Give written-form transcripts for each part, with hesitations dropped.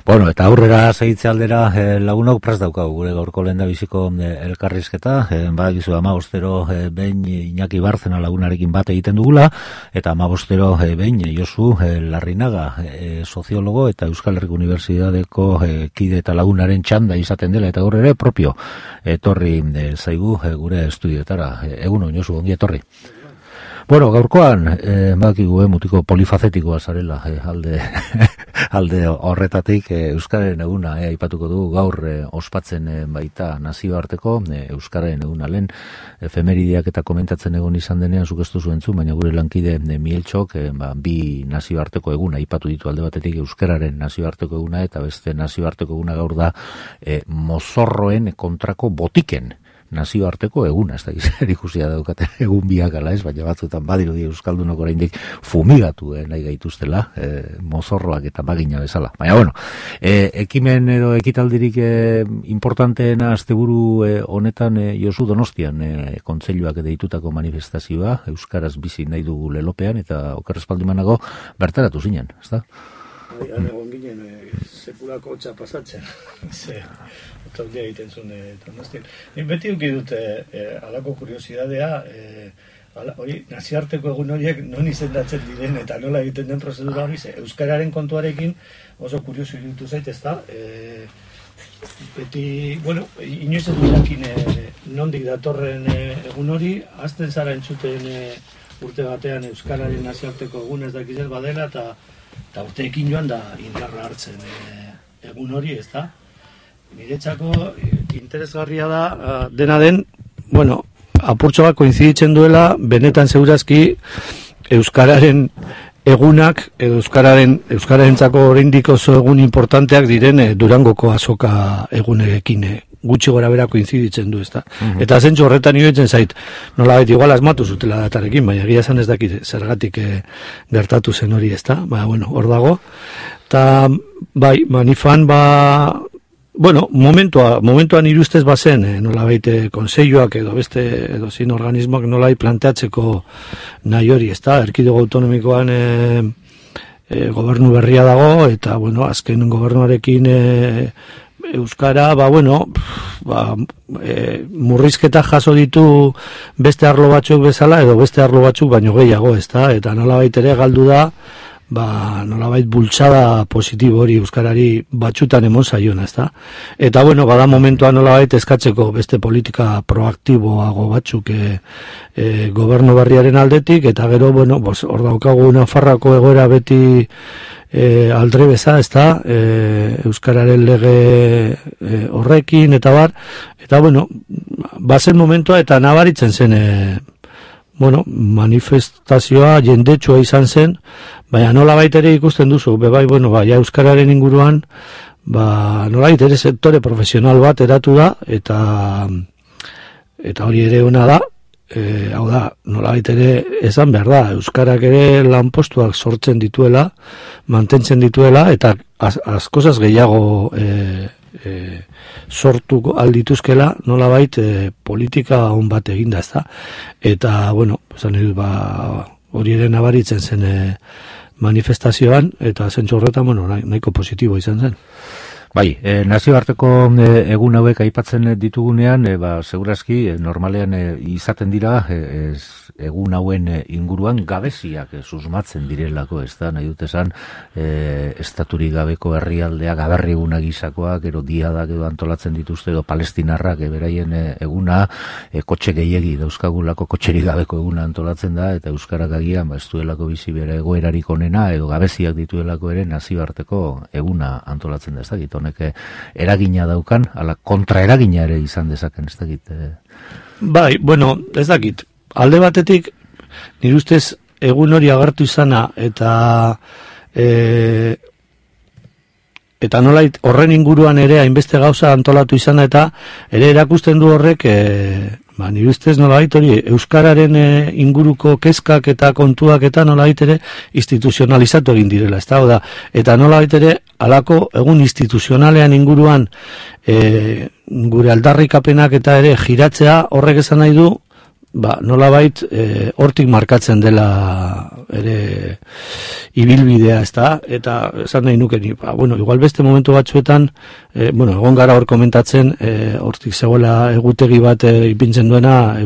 Bueno, eta aurrera segitze aldera lagunok prest daukagu gure gaurko lehendabiziko elkarrizketa, badakizu 15 behin Iñaki Bárcena lagunarekin bat egiten dugula, eta 15 behin Josu Larrinaga soziologo eta Euskal Herriko Unibertsitateko kide eta lagunaren txanda izaten dela, eta gaur ere propio etorri zaigu gure estudioetara. Egunon Josu, ongi etorri. Bueno, gaurkoan, badakigu mutiko polifacetikoa zarela, alde horretatik Euskararen eguna, aipatuko du gaur ospatzen baita nazioarteko Euskararen eguna. Lehen efemerideak eta komentatzen egon izan denean zuk ez duzu entzun, baina gure lankide Mieltxok bi nazioarteko eguna aipatu ditu, alde batetik Euskararen nazioarteko eguna eta beste nazioarteko eguna gaur da mozorroen kontrako botiken nazioarteko eguna, ez da zer ikusia daukaten egun biak ala ez, baina batzuetan badirudi euskaldunok oraindik fumigatu nahi gaituztela, mozorroak eta magina bezala. Baina bueno, ekimen edo ekitaldirik importanteena asteburu honetan Josu Donostian kontseiluak deitutako manifestazioa, euskaraz bizi nahi dugu lelopean, eta okerrespaldimanago bertaratu zinen, ez da? Han egon ginen sekulako hotza pasatzen. Otzaldia egiten zuen Donostian. Beti duki dute alako kuriosidadea, hori naziarteko egun horiek non izendatzen diren eta nola egiten den prozedura hori, euskararen kontuarekin oso kurioso iruditu zait, ez da? Beti, bueno, inoiz ez dirakin nondik datorren egun hori, hasten zara entzuten urte batean euskararen naziarteko egun ez dakizel badela, eta urteekin joan da indarra hartzen egun hori, ez da? Niretzako interesgarria da dena den, bueno, apurtxo bat koinziditzen duela, benetan segurazki euskararen egunak, edo euskararentzako oraindik oso egun importanteak diren Durangoko azoka egunekin gutxi gora bera koinziditzen du, ezta. Eta zentzu horretan iruditzen zait, nola beti igual asmatu zutela datarekin, baina egia esan ez dakit zergatik gertatu zen hori, ezta. Baina, bueno, hor dago. Eta, bai, manifan, bueno, momentuan irustez bazen, nola baite konseiluak edo beste, edo zin organismoak nola planteatzeko nahi hori, ezta. Erkidego autonomikoan gobernu berria dago, eta, bueno, azken gobernuarekin euskara, murrizketa jaso ditu beste arlo batzuk bezala, edo beste arlo batzuk baino gehiago, ezta? Eta nolabait ere galdu da, nolabait bultzada positibo hori euskarari batzutan emon zaiona, ezta? Eta, bueno, bada momentua nolabait eskatzeko beste politika proaktiboago batzuk gobernu berriaren aldetik, eta gero, bueno, hor daukagu Nafarroako egoera beti aldre beza, ezta, euskararen lege horrekin, eta bar, eta, bueno, bazen momentua eta nabaritzen zen, bueno, manifestazioa jendetsua izan zen, baina nola baitere ikusten duzu, bebai, bueno, ja euskararen inguruan, nola baitere sektore profesional bat eratu da, eta hori ere ona da, hau da, nolabait ere esan behar da, euskarak ere lanpostuak sortzen dituela, mantentzen dituela, eta askozaz gehiago sortu aldituzkela, nolabait politika on bat eginda, ez da. Eta, bueno, hori ere nabaritzen zen manifestazioan, eta zentzu horretan, bueno, nahiko positibo izan zen. Bai, nazioarteko egun hauek aipatzen ditugunean, segurazki, normalean izaten dira, egun hauen inguruan gabeziak susmatzen direlako, ez da, nahi dut esan, estaturik gabeko herrialdeak, aberri eguna gizakoak, ero diadak edo antolatzen dituzte, edo palestinarrak, beraien eguna, kotxe gehiegi, dauzkagulako kotxerik gabeko eguna antolatzen da, eta euskarak agian, ez duelako bizi bere egoerarik onena, edo gabeziak dituelako ere nazioarteko eguna antolatzen da, ez da, eragina daukan, ala kontraeragina ere izan dezaken, ez dakit. Bai, bueno, ez dakit. Alde batetik, nire ustez egun hori agertu izana, eta nolait horren inguruan ere hainbeste gauza antolatu izana, eta ere erakusten du horrek, nire ustez nolait hori euskararen inguruko kezkak eta kontuak eta nolait ere instituzionalizatu egin direla, ez da, eta nolait ere alako egun instituzionalean inguruan gure aldarrikapenak eta ere giratzea horrek esan nahi du nolabait hortik markatzen dela ere ibilbidea, ezta? Eta esan nahi nuke ni, igual beste momentu batzuetan, egon gara hor komentatzen, hortik zegoela egutegi bat ipintzen duena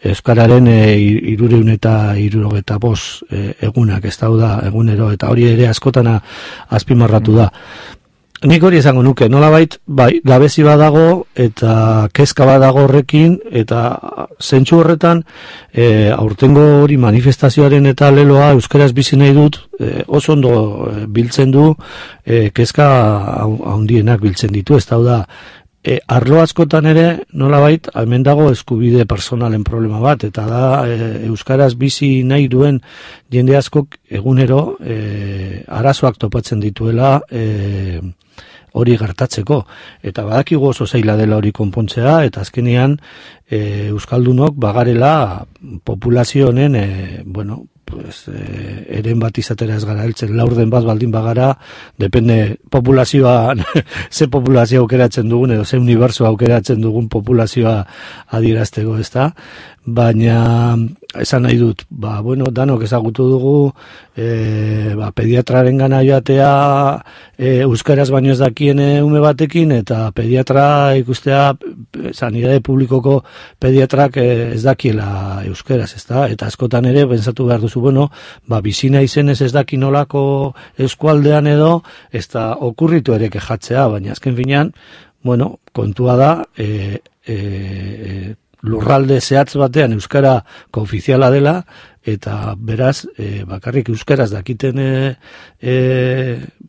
Euskararen 375 egunak, ez da, egunero, eta hori ere askotana azpimarratu da. Nik hori esango nuke, nolabait, gabezi badago eta kezka badago horrekin, eta zentsu horretan, aurtengo hori manifestazioaren eta leloa euskaraz bizi nahi dut, oso ondo biltzen du, kezka handienak biltzen ditu, ez da, arlo askotan ere, nolabait, hemen dago eskubide personalen problema bat, eta da, euskaraz bizi nahi duen jende askok egunero arazoak topatzen dituela hori gertatzeko. Eta badakigu oso zaila dela hori konpontzea, eta azkenean euskaldunok bagarela populazio honen, eren bat izatera ez gara heltzen, laurden bat baldin bagara, depende populazioa, ze populazioa aukeratzen dugun, edo ze unibertsoa aukeratzen dugun populazioa adierazteko, ez da? Baina, esan nahi dut, danok ezagutu dugu, pediatraren gana joatea, euskaraz baino ez dakien ume batekin, eta pediatra ikustea, sanidade publikoko pediatrak ez dakiela euskaraz, ez da? Eta askotan ere, pentsatu behar duzu, bizina izenez ez daki nolako eskualdean edo, ez da okurritu ere kejatzea, baina azken finean, kontua da, lurralde zehatz batean euskara koofiziala dela, eta beraz, bakarrik euskaraz dakiten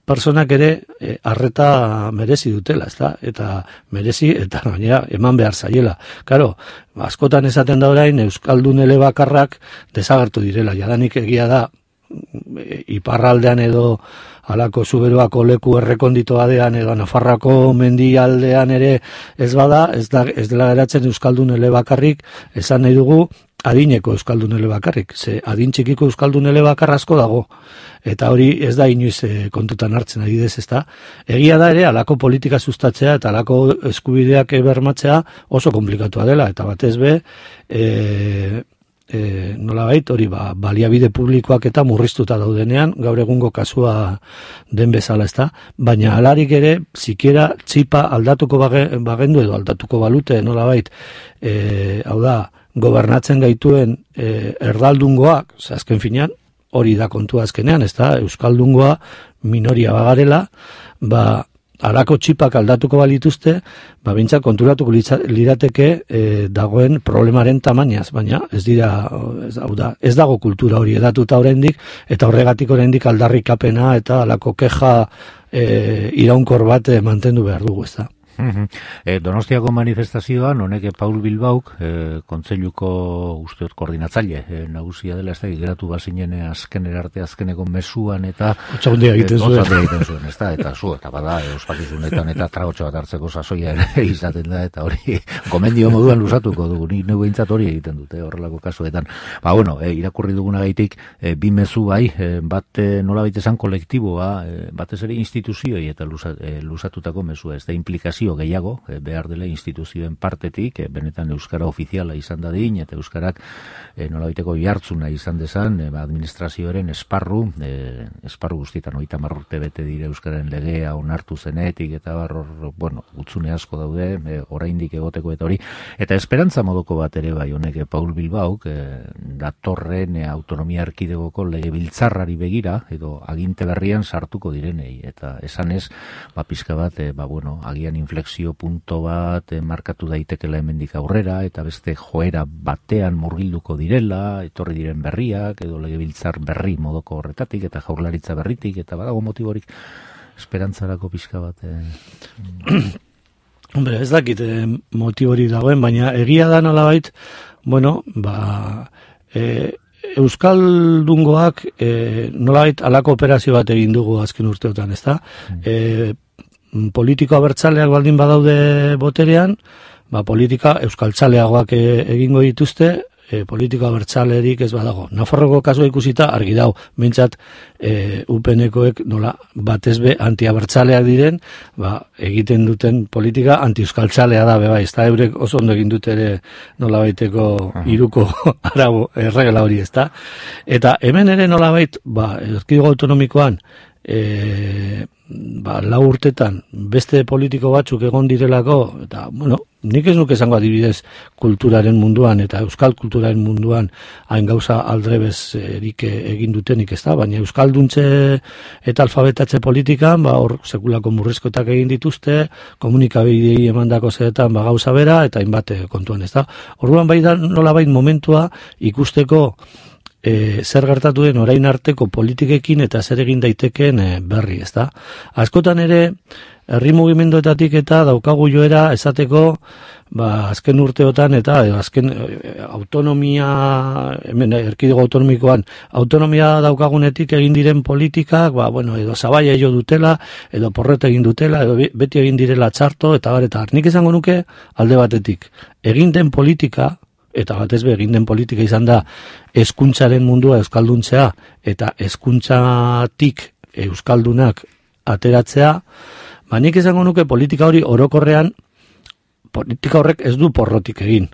personak ere arreta merezi dutela, ezta? Eta merezi, eta gainera eman behar zaiela. Karo, askotan esaten da orain, euskaldun elebakarrak desagertu direla, jadanik egia da, iparraldean edo halako Zuberoako leku errekondito badean edo Nafarroako mendialdean ere ez bada, ez dela geratzen euskaldun elebakarrik, esan nahi dugu adineko euskaldun elebakarrik, ze adin txikiko euskaldun elebakar asko dago, eta hori ez da inoiz kontutan hartzen adidez, ez da. Egia da ere, halako politika sustatzea eta halako eskubideak bermatzea oso komplikatua dela, eta batez be, nolabait hori baliabide publikoak eta murriztuta daudenean, gaur egungo kasua den bezala, ezta, baina halarik ere sikiera txipa aldatuko bagendu edo aldatuko balute nolabait, hau da, gobernatzen gaituen erdaldungoak, azken finean, hori da kontua azkenean, ezta, euskaldungoa minoria bagarela, halako txipak aldatuko balituzte, bintzat konturatuko lirateke dagoen problemaren tamainaz, baina ez dago kultura hori edatuta oraindik, eta horregatik oraindik aldarrikapena eta halako keja iraunkor bat mantendu behar dugu, ez da. Donostiako manifestazioan, honek Paul Bilbauk, kontseiluko usteot koordinatzaile nagusia dela, ez da, geratu bazinen azkeneko mesuan eta otxagundia egiten zuen, ez da, eta eta bada, ospakizunetan eta tragotxo bat hartzeko sasoia ere izaten da, eta hori gomendio moduan lusatuko dugu, nik neu behintzat hori egiten dute, horrelako kasuetan. Irakurri dugunagaitik, bi mezu bai, bat nolabait esan kolektiboa, batez ere instituzioi eta lusatutako mesua, ez da, implikazio gehiago, behar dela instituzioen partetik, benetan euskara ofiziala izan dadin, eta euskarak nolabaiteko jartzuna izan dezan, administrazioaren esparru guztietan 30 urte bete dire euskararen legea onartu zenetik, eta gutzune asko daude, oraindik egoteko eta hori, eta esperantza modoko bat ere bai honek Paul Bilbauk, datorren autonomia erkidegoko legebiltzarrari begira, edo aginte berrian sartuko direnei, eta esanez, pizka bat, agian inflexio punto bat markatu daitekela hemendik aurrera, eta beste joera batean murgilduko direla, etorri diren berriak, edo legebiltzar berri modoko horretatik, eta jaurlaritza berritik, eta badago motiborik esperantzarako pixka bat. Hombre, ez dakit motibori dagoen, baina egia da nolabait, euskaldungoak nolabait halako operazio bat egin dugu azken urteotan, ezta? Politiko abertzaleak baldin badaude boterean, politika euskaltzaleagoak egingo dituzte, politika abertzalerik ez badago. Nafarroko kasua ikusita argi dago, mintzat UPNkoek nola batezbe antiabertzaleak diren, egiten duten politika anti-euskaltzalea da, bai, ez da, eurek oso ondo egin dut ere nola baiteko iruko arabo erregela hori, ez da. Eta hemen ere nola bait, erkidego autonomikoan, lau urtetan beste politiko batzuk egon direlako, eta, nik ez nuke esango adibidez kulturaren munduan eta euskal kulturaren munduan hain gauza aldrebezerik egin dutenik, ez da, baina euskalduntze eta alfabetatze politikan, hor sekulako murrizkotak egin dituzte, komunikabidei emandako zeretan gauza bera, eta hainbat kontuan, ez da. Orduan bai da nolabait momentua ikusteko zer gertatu den orain arteko politikekin eta zer egin daitekeen berri, ez da. Askotan ere, herri mugimenduetatik eta daukagu joera esateko, azken urteotan eta azken autonomia, hemen erkidego autonomikoan, autonomia daukagunetik egin diren politikak, edo zabaia jo dutela, edo porreta egin dutela, edo beti egin direla txarto, eta nik esango nuke alde batetik. Egin den politika, eta batezbe egin den politika izan da hezkuntzaren mundua euskalduntzea eta hezkuntzatik euskaldunak ateratzea, nik esango nuke politika hori orokorrean, politika horrek ez du porrotik egin.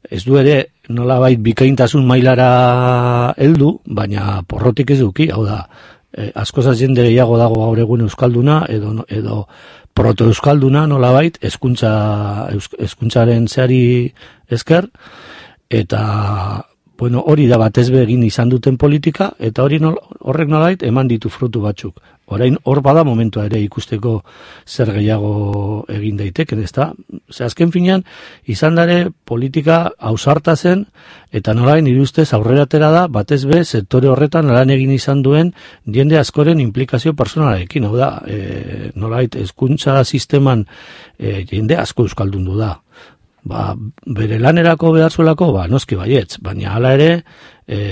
Ez du ere nolabait bikaintasun mailara heldu, baina porrotik ez duki, hau da, askozaz jende gehiago dago gaur egun euskalduna, edo proto-euskalduna nolabait, hezkuntzaren zeari esker, eta hori da batezbe egin izan duten politika, eta horrek nolabait eman ditu frutu batzuk. Orain hor bada momentua ere ikusteko zer gehiago egin daiteken, ez da? Azken finean, izan dare politika ausarta zen, eta nolabait nire ustez aurrera atera da, batezbe sektore horretan lan egin izan duen jende askoren implikazio personalarekin, hau da, nolabait hezkuntza sisteman jende asko euskaldundu da. Bere lanerako behar zuelako, noski baietz, baina hala ere,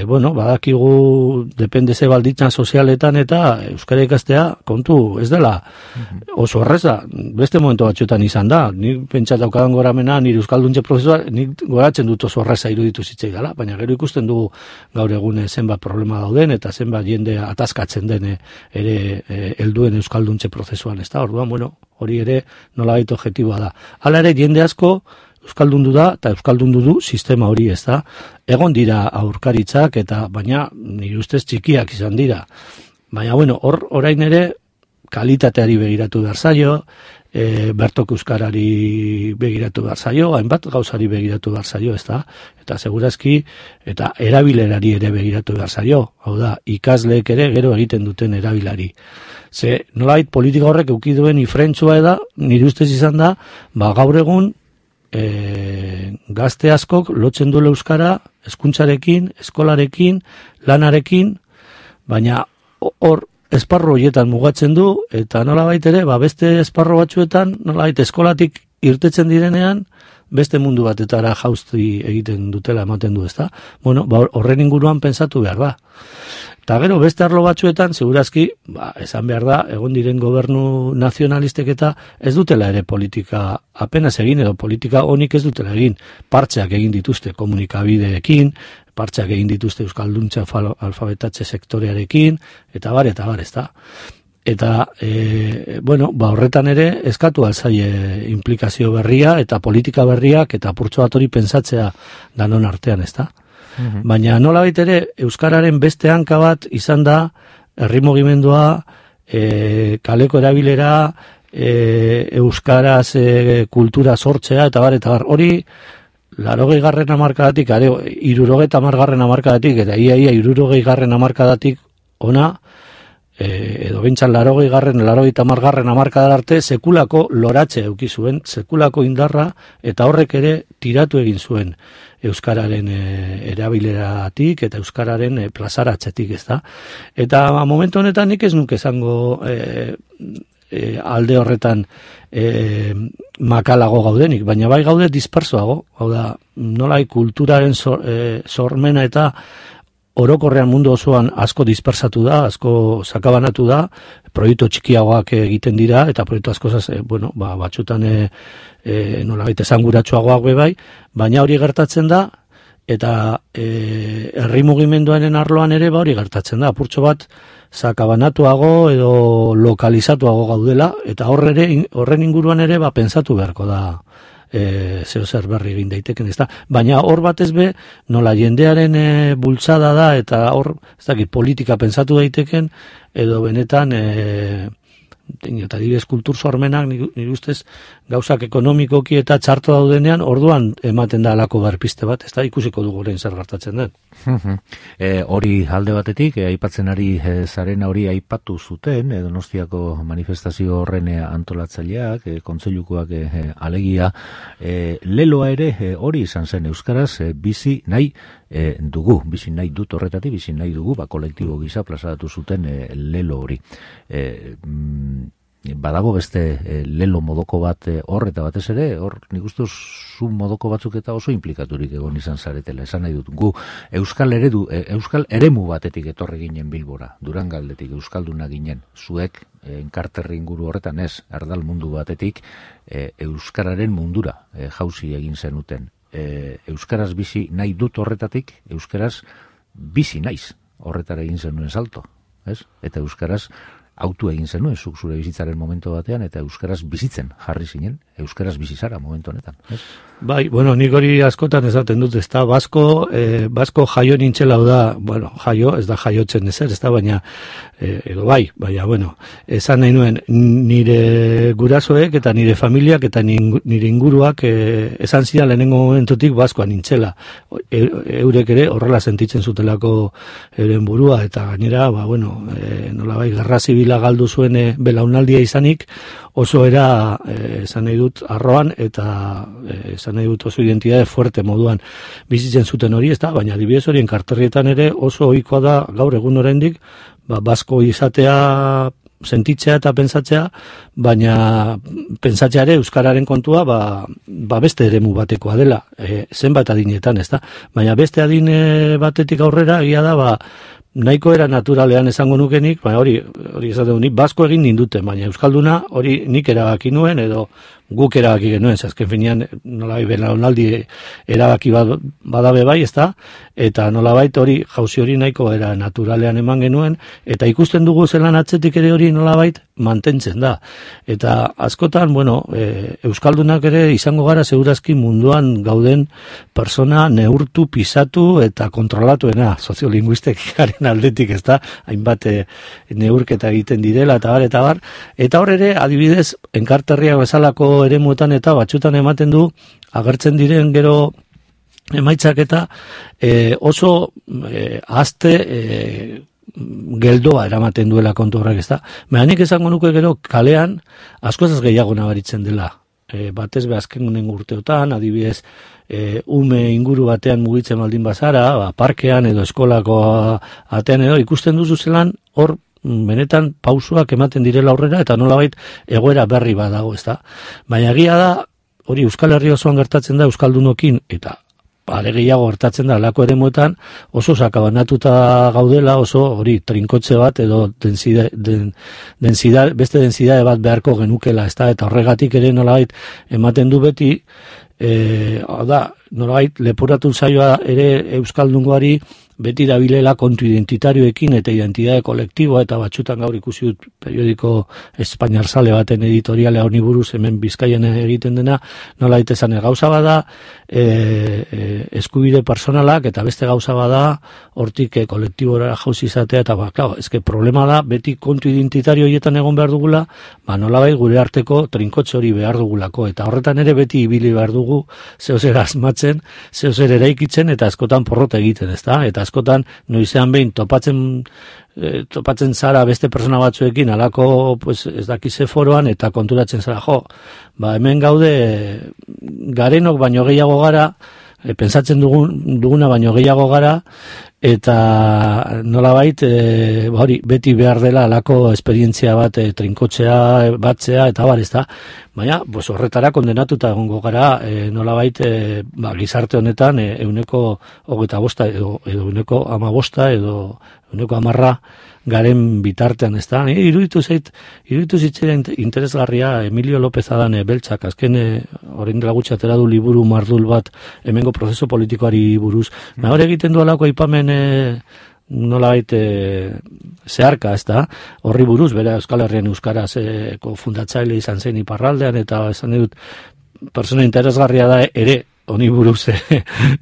badakigu depende ze baldintzan sozialetan eta euskara ikastea kontu ez dela oso erreza, beste momentu batzuetan izan da, nik pentsat daukadan goramena nire euskalduntze prozesua, nik goratzen dut oso erreza iruditu zitzai dela, baina gero ikusten dugu gaur egun zenbat problema dauden eta zenbat jende ataskatzen den ere helduen euskalduntze prozesuan, ez da, orduan, hori ere nolabait objektiboa da. Hala ere jende asko euskaldundu da eta euskaldundu du sistema hori, ez da. Egon dira aurkaritzak eta baina nire ustez txikiak izan dira. Baina orain ere kalitateari begiratu behar zaio, bertok euskarari begiratu behar zaio, hainbat gauzari begiratu behar zaio, ez da. Eta segurazki eta erabilerari ere begiratu behar zaio. Hau da, ikasleek ere gero egiten duten erabilari. Ze nolait politika horrek eukiduen ifrentzua eda, nire ustez izan da, gaur egun gazte askok lotzen du euskara hezkuntzarekin, eskolarekin, lanarekin, baina hor esparru horietan mugatzen du, eta nolabait ere, beste esparru batzuetan, nolabait eskolatik irtetzen direnean, beste mundu batetara jauzti egiten dutela ematen du, ezta? Horren inguruan pentsatu behar da. Eta gero, beste arlo batzuetan, segurazki, esan behar da, egon diren gobernu nazionalistek eta ez dutela ere politika apenas egin, edo politika honik ez dutela egin. Partxeak egin dituzte komunikabideekin, partxeak egin dituzte euskalduntza alfabetatze sektorearekin, eta bar, ez da. Eta, horretan ere, eskatu alzaie implikazio berria, eta politika berriak, eta apurtxo bat hori pentsatzea danon artean, ez da. Baina nolabait ere, euskararen beste hanka bat izan da, herri mugimendua, kaleko erabilera, euskaraz kultura sortzea, eta bar, hori, 80. hamarkadatik, 70. hamarkadatik, eta ia 70. hamarkadatik ona, edo bintzan 80. hamarkadar arte, sekulako loratze eduki zuen, sekulako indarra, eta horrek ere tiratu egin zuen euskararen erabileratik eta euskararen plazaratzetik, ez da. Eta momentu honetan nik ez nuke esango alde horretan makalago gaudenik, baina bai gaude dispersoago, hau da, nolai kulturaren sormena eta orokorrean mundu osoan asko dispersatu da, asko sakabanatu da, proiektu txikiagoak egiten dira, eta proiektu asko batzutan nolabait esanguratsuagoak bai, baina hori gertatzen da, eta herri mugimenduaren arloan ere hori gertatzen da, apurtxo bat sakabanatuago edo lokalizatuago gaudela, eta horren inguruan ere pentsatu beharko da zeo zer berri egin daiteken, ezta? Baina hor batez be, nola jendearen bultzada da, eta hor, ez dakit, politika pentsatu daiteken, edo benetan eta dibez kultur sormenak nire ustez gauzak ekonomikoki eta txarto daudenean orduan ematen da alako berpiste bat, ez da ikusiko dugu orain zer gertatzen den. Hori alde batetik, aipatzen ari zarena hori aipatu zuten, Donostiako manifestazio horren antolatzaileak, kontseilukoak alegia, leloa ere hori izan zen euskaraz bizi nahi dugu, bizi nahi dut horretatik, bizi nahi dugu, kolektibo gisa plazaratu zuten lelo hori. Badago beste lelo modoko bat hor eta batez ere, hor nik uste zu modoko batzuk eta oso implikaturik egon izan zaretela, esan nahi dut. Gu euskal eremu batetik etorri ginen Bilbora, Durangaldetik euskalduna ginen, zuek enkarterri inguru horretan ez, erdal mundu batetik euskararen mundura jauzi egin zenuten. Euskaraz bizi nahi dut horretatik, euskaraz bizi naiz horretara egin zenuen salto, ez? Eta euskaraz autu egin zenuen, zuk zure bizitzaren momentu batean, eta euskaraz bizitzen jarri zinen, euskaraz bizizara momentu honetan, ez? Bai, bueno, nik hori askotan esaten dut, ez da, basko jaio nintxela da, bueno, jaio, ez da jaiotzen ezer, ez da, baina, edo baina, bueno, esan nahi nuen, nire gurasoek eta nire familiak eta nire inguruak esan zidan lehenengo momentutik baskoa nintxela. Eurek ere horrela sentitzen zutelako euren burua, eta gainera, bueno, nolabait, gerra zibila galdu zuen belaunaldia izanik, oso era, esan nahi dut, arroan, eta esan nahi dut oso identitate fuerte moduan bizitzen zuten hori, ez da, baina adibidez horien karterrietan ere oso ohikoa da gaur egun oraindik, basko izatea sentitzea eta pentsatzea, baina pentsatzea ere euskararen kontua beste eremu batekoa dela, zenbat adinetan, ez da, baina beste adine batetik aurrera egia da, nahiko era naturalean esango nukenik, baina hori esaten nik basko egin ninduten, baina euskalduna hori nik erabaki nuen edo guk erabaki genuen, azken finean nolabait belaunaldi erabaki badabe bai, ezta? Eta nolabait hori jauzi hori nahiko era naturalean eman genuen, eta ikusten dugu zelan atzetik ere hori nolabait mantentzen da. Eta askotan, bueno, euskaldunak ere izango gara segurazki munduan gauden persona neurtu, pisatu eta kontrolatuena, soziolinguistikaren aldetik, ezta? Hainbat neurketa egiten direla eta bar, eta hor ere adibidez enkarterriak bezalako eremuetan eta batzutan ematen du agertzen diren gero emaitzak eta oso azte geldoa eramaten duela kontu horrek, ezta? Baina nik esango nuke gero kalean askozaz gehiago nabaritzen dela. Batez be azken urteotan, adibidez ume inguru batean mugitzen baldin bazara, parkean edo eskolako atean edo ikusten duzu zelan hor benetan pausuak ematen direla aurrera eta nolabait egoera berri badago, ezta? Baina egia da, hori Euskal Herri osoan gertatzen da euskaldunokin eta are gehiago gertatzen da alako eremuetan oso sakabanatuta gaudela, oso hori trinkotxe bat edo beste densidade bat beharko genukela, ezta? Eta horregatik ere nolabait ematen du beti nolabait leporatu zaioa ere euskaldungoari beti dabilela kontu identitarioekin eta identitate kolektiboa eta batzutan gaur ikusi dut periodiko Espainiar Zale baten editorialea honi buruz hemen Bizkaian egiten dena, nolabait esan gauza bada eskubide personalak eta beste gauza bada hortik kolektibora jauzi izatea eta eske problema da beti kontu identitario horietan egon behar dugula, nolabait gure arteko trinkotxe hori behar dugulako eta horretan ere beti ibili behar dugu zeozer asmatzen, zeozer eraikitzen eta askotan porrota egiten, ezta? Eta askotan noizean behin topatzen zara beste persona batzuekin alako pues, ez dakize foroan eta konturatzen zara hemen gaude garenok baino gehiago gara, pentsatzen duguna baino gehiago gara eta nolabait hori beti behar dela alako esperientzia bat trinkotzea, batzea eta bar, ezta. Baina horretara kondenatuta egongo gara nolabait gizarte honetan 25% edo 15% edo 10% garen bitartean, ezta. Iruditu zitzaidan interesgarria Emilio López Adane beltzak azken orain dela gutxi atera du liburu mardul bat hemengo prozesu politikoari buruz. Hor egiten du alako aipamen nolabait zeharka, ezta. Horri buruz, bera Euskal Herrian euskarazko fundatzaile izan zen iparraldean, eta esan dut persona interesgarria da ere honi buruz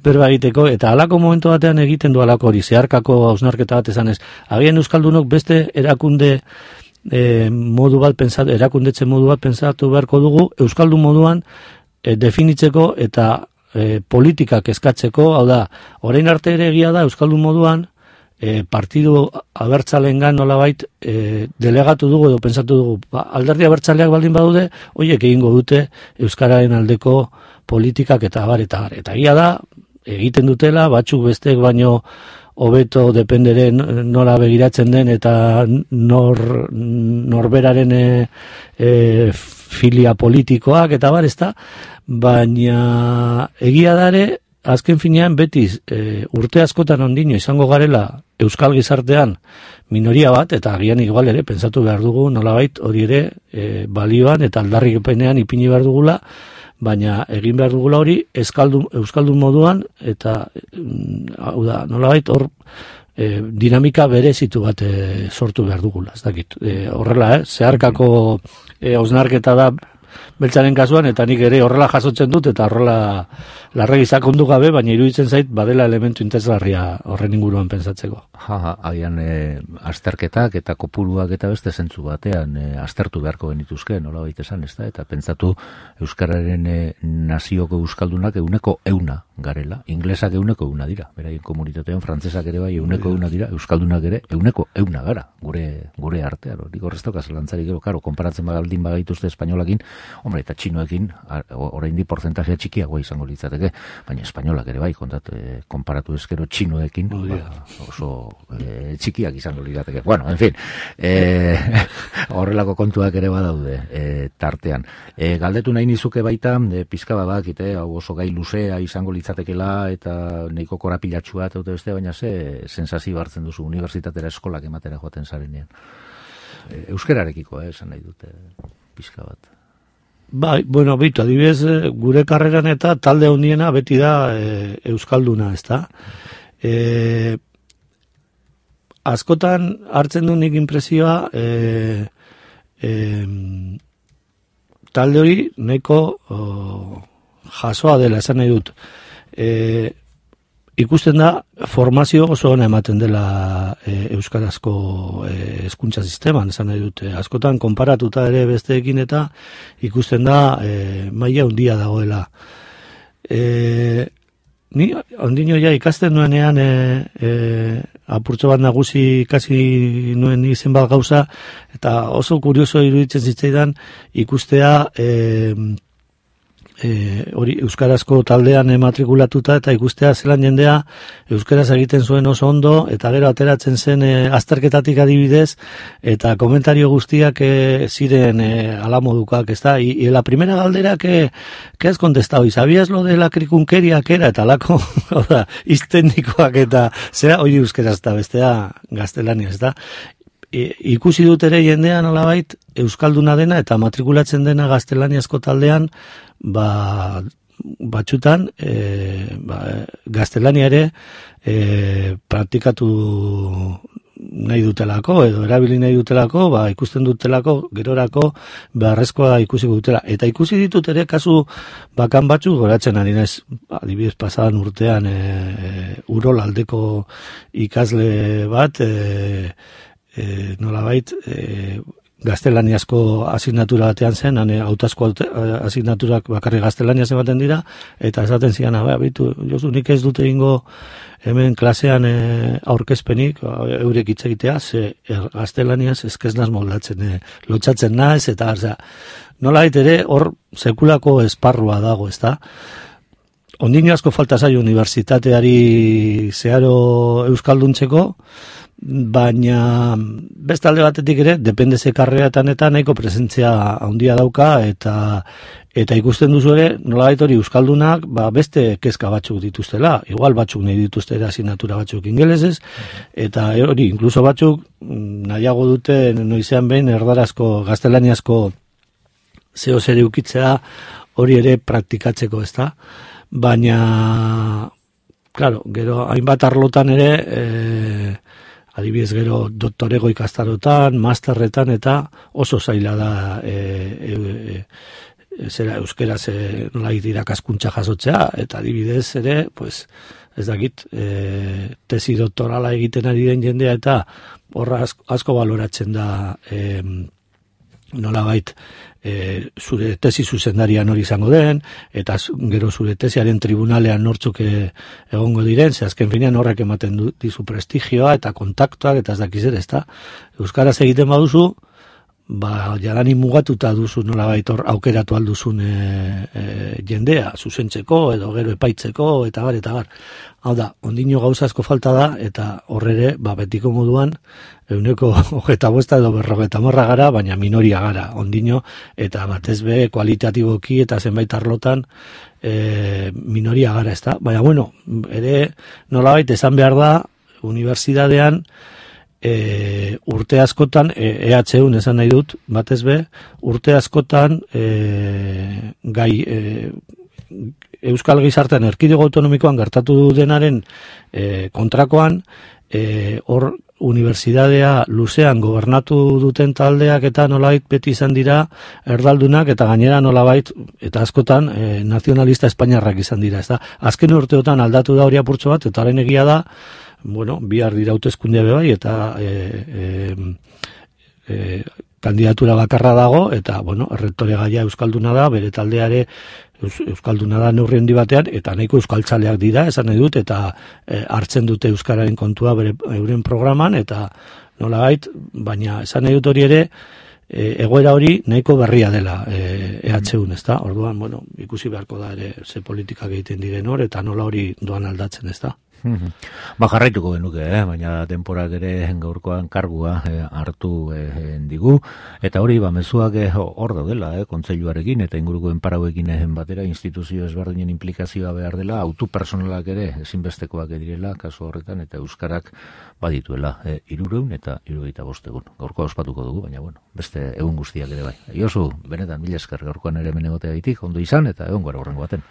berba egiteko, eta halako momentu batean egiten du halako hori, zeharkako hausnarketa bat esanez. Agian euskaldunok beste erakunde modu bat pensatu, erakundetze modu bat pensatu beharko dugu, euskaldun moduan definitzeko eta politikak eskatzeko, hau da, orain arte ere egia da euskaldun moduan partidu abertzalengan nolabait delegatu dugu edo pensatu dugu, alderdi abertzaleak baldin badude, horiek egingo dute euskararen aldeko politikak eta abar. Eta egia da, egiten dutela, batzuk besteek baino hobeto dependere nola begiratzen den eta norberaren filia politikoak eta bar, ezta, baina egia dare, azken finean beti urte askotan ondino izango garela euskal gizartean minoria bat, eta agian igual ere pensatu behar dugu nolabait hori ere balioan eta aldarrikepenean ipini behar dugula, baina egin behar dugula hori euskaldun moduan, eta hau da, nolabait hor dinamika berezitu bat sortu behar dugula, ez dakit. Horrela, zeharkako hausnarketa da beltzaren kasuan, eta nik ere horrela jasotzen dut, eta horrela larregi sakondu gabe, baina iruditzen zait badela elementu interesgarria horren inguruan pentsatzeko. Agian azterketak eta kopuruak eta beste zentzu batean aztertu beharko genituzke, nola baita esan, ez da? Eta pentsatu euskararen nazioko euskaldunak 100% garela, inglesak 100% dira, beraien komunitatean, frantzesak ere bai 100% dira, euskaldunak ere 100% gara, gure artean, hori gorreztoka zelantzarik gero, karo, konparatzen baldin bagaituzte espainolakin, hombre, eta txinoekin, oraindik porzentajea txikiagoa izango litzateke, baina espainolak ere bai, konparatu ezkero txinoekin, oso txikiak izango litzateke. Bueno, en fin, horrelako kontuak ere badaude tartean. Galdetu nahi nizuke baita, pizka badakite, hau oso gai luzea izango litzatekela, eta nahiko korapilatxua eta beste, baina sensazio hartzen duzu unibertsitatera eskolak ematera joaten zarenean. Euskararekiko, esan nahi dute pizka bat. Bai, bueno, bitu, adibidez, gure karreran eta talde handiena beti da euskalduna, ezta? Askotan hartzen du nik impresioa talde hori nahiko jasoa dela, esan nahi dut. Ikusten da formazio oso ona ematen dela euskarazko hezkuntza sisteman, esan nahi dute. Askotan konparatuta ere besteekin eta ikusten da maila handia dagoela. Ni ondino ja ikasten nuenean apurtxo bat nagusi ikasi nuen izen bat gauza, eta oso kurioso iruditzen zitzaidan ikustea hori euskarazko taldean matrikulatuta eta ikustea zelan jendea euskaraz egiten zuen oso ondo, eta gero ateratzen zen azterketatik adibidez, eta komentario guztiak ziren alamodukak, ezta? Y la primera galdera que has contestado, ¿y sabías lo de la cricunqueria que era? Eta alako, iztendikoak eta zera hori euskaraz eta bestea gaztelania, ezta? Ikusi dut ere jendea nolabait euskalduna dena eta matrikulatzen dena gaztelaniazko taldean, batxutan gaztelania ere praktikatu nahi dutelako edo erabili nahi dutelako, ikusten dutelako gerorako beharrezkoa ikusi dutela. Eta ikusi ditut ere kasu bakan batzuk, goratzen ari naiz adibidez pasadan urtean Urol aldeko ikasle bat nolabait gaztelaniazko asignatura batean zen, hautazko asignaturak bakarrik gaztelaniaz ematen dira, eta esaten zian, bitu, Josu, nik ez dute egingo hemen klasean aurkezpenik, eurek hitz egitea, ze gaztelaniaz eskeznaz moldatzen, lotxatzen naiz, eta nolabait ere hor sekulako esparrua dago, ezta? ondino asko falta zaio unibertsitateari zeharo euskalduntzeko, baina beste alde batetik ere, depende ze karreatan eta nahiko presentzia handia dauka, eta ikusten duzu ere, nolabait hori euskaldunak, beste kezka batzuk dituztela, igual batzuk nahi dituzte asignatura batzuk ingelesez, eta hori, inkluso batzuk nahiago dute noizean behin erdarazko, gaztelaniazko zeo zer eukitzea hori ere praktikatzeko, ezta? Baina, claro, gero hainbat arlotan ere, adibidez gero doktorego ikastarotan, masterretan eta oso zaila da zera euskeraz nolait irakaskuntza jasotzea, eta adibidez ere, pues, ez dakit, tesi doktorala egiten ari den jendea eta horra asko baloratzen da nolabait zure tesi zuzendarian hori izango den, eta gero zure tesiaren tribunalean nortzuk egongo diren, ze azken finean horrek ematen dizu prestigioa eta kontaktuak eta ez dakiz ere, ezta? Euskaraz egiten baduzu, jadanik mugatuta duzu nolabait hor aukeratu alduzun jendea, zuzentzeko edo gero epaitzeko eta bar. Hau da, ondino gauza asko falta da, eta horrere, betiko moduan, 25 edo 50 gara, baina minoria gara, ondino, eta batez be, kualitatiboki eta zenbait arlotan minoria gara, ez da? Baina, bueno, ere nolabait esan behar da, unibertsitatean, urte askotan, EHUn esan nahi dut, batez be, urte askotan gai Euskal Gizartean erkidego autonomikoan gertatu denaren kontrakoan, hor unibertsitatea luzean gobernatu duten taldeak eta nolabait beti izan dira erdaldunak eta gainera nolabait eta askotan nazionalista espainiarrak izan dira, ez da? Azken urteotan aldatu da hori apurtxo bat, eta haren egia da, bueno, bihar dira hauteskundea bai, eta kandidatura bakarra dago, eta, bueno, errektore gaia euskalduna da, bere taldeare euskalduna da neurri handi batean, eta nahiko euskaltzaleak dira, esan nahi dut, eta hartzen dute euskararen kontua euren programan, eta nolabait, baina esan nahi dut hori ere, egoera hori nahiko berria dela EHUn, ezta? Orduan, bueno, ikusi beharko da ere ze politikak egiten diren hor, eta nola hori doan aldatzen, ezta? Jarraituko genuke, baina denporak ere gaurkoan kargua hartu digu, eta hori mezuak hor daudela, kontseiluarekin eta ingurukoen parauekin batera, instituzio ezberdinen implikazioa behar dela, autopersonalak ere ezinbestekoak direla, kasu horretan, eta euskarak badituela 300 eta 75 egun. Gaurkoa ospatuko dugu, baina bueno, beste egun guztiak ere bai. Josu, benetan, mila esker gaurkoan ere hemen egoteagatik, ondo izan, eta egon gara horrengo baten.